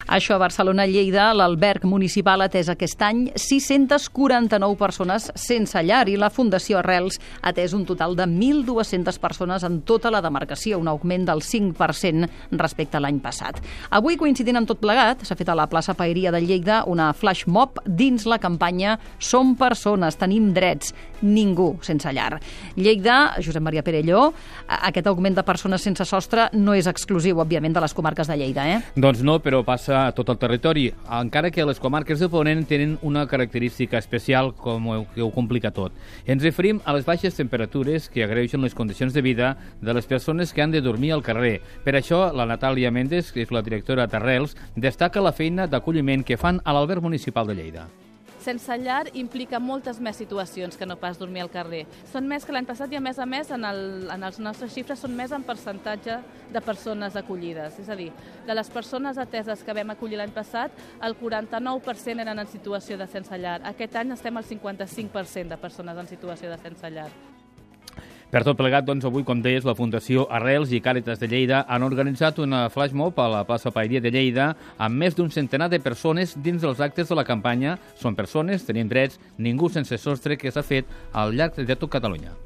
Això a Barcelona, Lleida, l'alberg municipal ha atès aquest any 649 persones sense llar i la Fundació Arrels ha atès un total de 1.200 persones en tota la demarcació, un augment del 5% respecte a l'any passat. Avui, coincidint amb tot plegat, s'ha fet a la plaça Paeria de Lleida una flash mob dins la campanya Som persones, tenim drets, ningú sense llar. Lleida, Josep Maria Perelló, aquest augment de persones sense sostre no és exclusiu, òbviament, de les comarques de Lleida, Doncs no, però passa a tot el territori, encara que les comarques de Ponent tenen una característica especial que ho complica tot. Ens referim a les baixes temperatures que agreugen les condicions de vida de les persones que han de dormir al carrer. Per això, la Natàlia Méndez, que és la directora d'Arrels, destaca la feina d'acolliment que fan a l'alberg municipal de Lleida. Sense llar implica moltes més situacions que no pas dormir al carrer. Són més que l'any passat i, a més, en les nostres xifres són més en percentatge de persones acollides. És a dir, de les persones ateses que vam acollir l'any passat, el 49% eren en situació de sense llar. Aquest any estem al 55% de persones en situació de sense llar. Per tot plegat, doncs, avui, com deies, la Fundació Arrels i Càritas de Lleida han organitzat una flash mob a la plaça Paeria de Lleida amb més d'un centenar de persones dins dels actes de la campanya Som persones, tenim drets, ningú sense sostre, que s'ha fet al llarg de tot Catalunya.